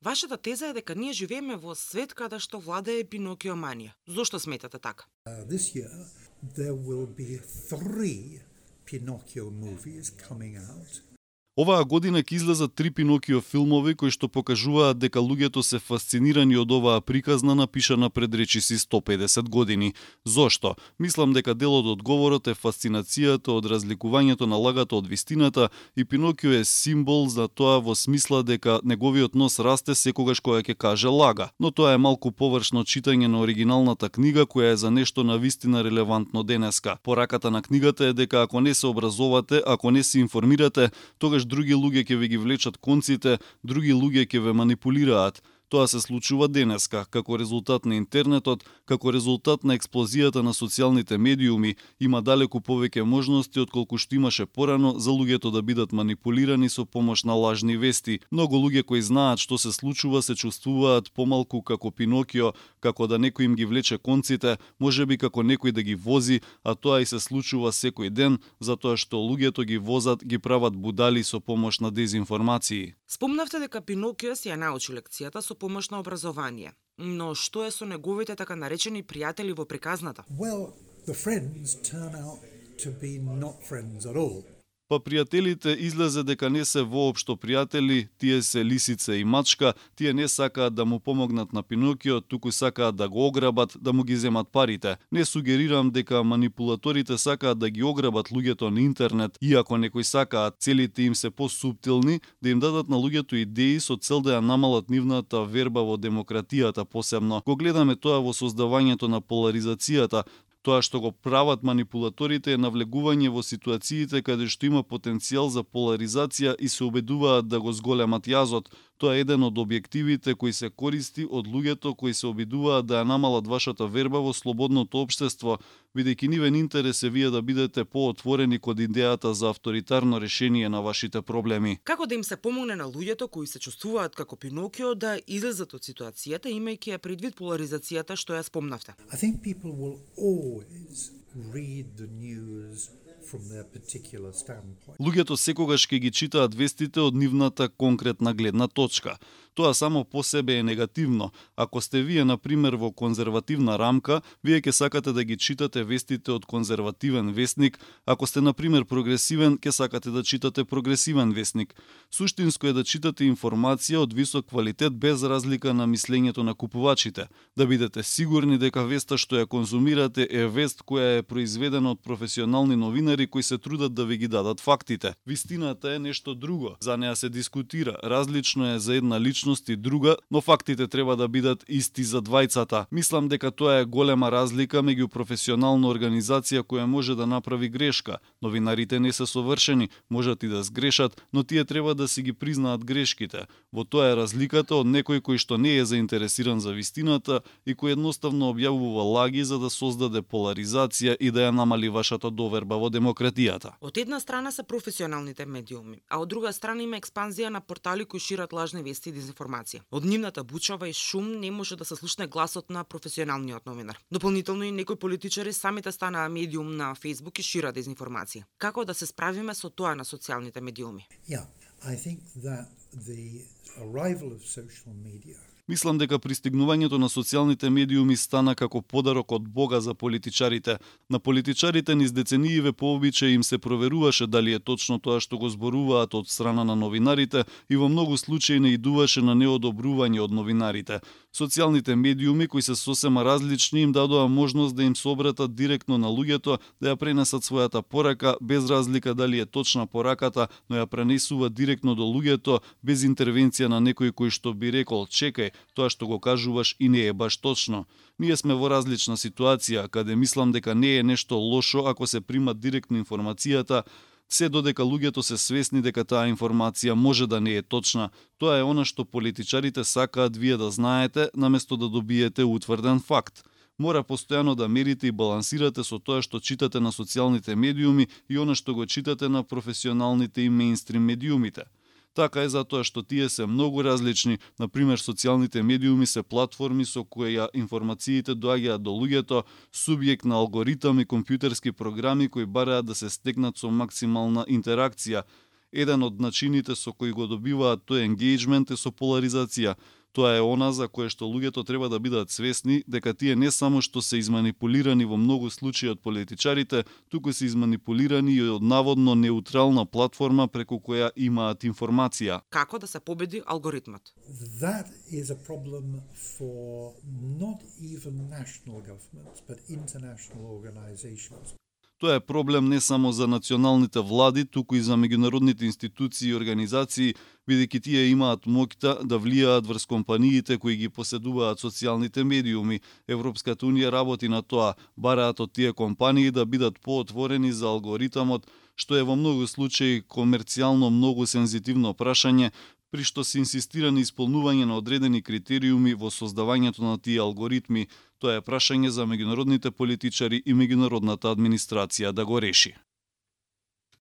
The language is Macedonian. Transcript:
Вашата теза е дека ние живееме во свет каде што владее пинокиоманија. Зошто сметате така? This year there will be 3 Pinocchio movies coming out. Оваа година ќе излезат 3 Пинокио филмови кои што покажуваат дека луѓето се фасцинирани од оваа приказна напишана пред речиси 150 години. Зошто? Мислам дека дел од одговорот е фасцинацијата од разликувањето на лагата од вистината и Пинокио е символ за тоа во смисла дека неговиот нос расте секогаш кога ќе каже лага. Но тоа е малку површно читање на оригиналната книга која е за нешто на вистина релевантно денеска. Пораката на книгата е дека ако не се образовате, ако не се информирате, тогаш други луѓе ќе ви ги влечат конците, други луѓе ќе ве манипулираат. Тоа се случува денеска, како резултат на интернетот, како резултат на експлозијата на социјалните медиуми, има далеку повеќе можности отколку што имаше порано за луѓето да бидат манипулирани со помош на лажни вести. Многу луѓе кои знаат што се случува се чувствуваат помалку како Пинокио, како да некој им ги влече конците, можеби како некој да ги вози, а тоа и се случува секој ден, затоа што луѓето ги возат, ги прават будали со помош на дезинформации. Спомнавте дека Пинокио си ја научи лекцијата со помош на образование. Но што е со неговите така наречени пријатели во приказната? Well, the friends turn out to be not friends at all. Па пријателите излезе дека не се воопшто пријатели, тие се лисица и мачка, тие не сакаат да му помогнат на Пинокио, туку сакаат да го ограбат, да му ги земат парите. Не сугерирам дека манипулаторите сакаат да ги ограбат луѓето на интернет, иако некои сакаат целите им се посуптилни, да им дадат на луѓето идеи со цел да ја намалат нивната верба во демократијата посебно. Го гледаме тоа во создавањето на поларизацијата. Тоа што го прават манипулаторите е навлегување во ситуациите каде што има потенцијал за поларизација и се обидуваат да го зголемат јазот. Тоа е еден од објективите кои се користи од луѓето кои се обидуваат да ја намалат вашата верба во слободното општество, бидејќи нивен интерес е вие да бидете поотворени кон идејата за авторитарно решение на вашите проблеми. Како да им се помогне на луѓето кои се чувствуваат како Пинокио да излезат од ситуацијата, имајќи ја предвид поларизацијата што ја спомнавте? I think people will always read the news from their particular standpoint. Луѓето секогаш ќе ги читаат вестите од нивната конкретна гледна точка. Тоа само по себе е негативно. Ако сте вие, на пример, во конзервативна рамка, вие ќе сакате да ги читате вестите од конзервативен вестник. Ако сте, на пример, прогресивен, ќе сакате да читате прогресивен вестник. Суштинско е да читате информација од висок квалитет без разлика на мислењето на купувачите. Да бидете сигурни дека веста што ја конзумирате е вест која е произведена од професионални новинари кои се трудат да ви ги дадат фактите. Вистината е нешто друго. За неа се дискутира. Различно е за една личност и друга, но фактите треба да бидат исти за двајцата. Мислам дека тоа е голема разлика меѓу професионална организација која може да направи грешка. Новинарите не се совршени, можат и да сгрешат, но тие треба да си ги признаат грешките. Во тоа е разликата од некој кој што не е заинтересиран за вистината и кој едноставно објавува лаги за да создаде поларизација и да ја намали вашата доверба во демократијата. Од една страна се професионалните медиуми, а од друга страна има експанзија на портали кои шират лажни вести и дезинформација. Од нивната бучава и шум не може да се слушне гласот на професионалниот новинар. Дополнително и некои политичари самите станаа медиум на Facebook и шират дезинформација. Како да се справиме со тоа на социјалните медиуми? Yeah, I think that the arrival of social media Мислам дека пристигнувањето на социјалните медиуми стана како подарок од Бога за политичарите. На политичарите низ деценииве по обичај им се проверуваше дали е точно тоа што го зборуваат од страна на новинарите и во многу случаи не идуваше на неодобрување од новинарите. Социјалните медиуми кои се сосема различни им дадоа можност да им се обратат директно на луѓето, да ја пренесат својата порака без разлика дали е точна пораката, но ја пренесува директно до луѓето без интервенција на некој кој што би рекол чекај, тоа што го кажуваш и не е баш точно. Ние сме во различна ситуација, каде мислам дека не е нешто лошо ако се прима директно информацијата, се додека луѓето се свесни дека таа информација може да не е точна. Тоа е она што политичарите сакаат вие да знаете, наместо да добиете утврден факт. Мора постојано да мерите и балансирате со тоа што читате на социјалните медиуми и она што го читате на професионалните и мејнстрим медиумите. Така е затоа што тие се многу различни. Например, социјалните медиуми се платформи со кои информациите доаѓаат до луѓето, субјект на алгоритам и компјутерски програми кои бараат да се стекнат со максимална интеракција. Еден од начините со кои го добиваат тој engagement е со поларизација. Тоа е она за кое што луѓето треба да бидат свесни дека тие не само што се изманипулирани во многу случаи од политичарите, туку се изманипулирани и од наводно неутрална платформа преку која имаат информација. Како да се победи алгоритмот? That is a problem for not even national governments, but international organizations. Тоа е проблем не само за националните влади, туку и за меѓународните институции и организации, бидејќи тие имаат моќта да влијаат врз компаниите кои ги поседуваат социјалните медиуми. Европската унија работи на тоа, бараат од тие компании да бидат поотворени за алгоритмот, што е во многу случаи комерцијално многу сензитивно прашање, при што се инсистира на исполнување на одредени критериуми во создавањето на тие алгоритми. Тоа е прашање за меѓународните политичари и меѓународната администрација да го реши.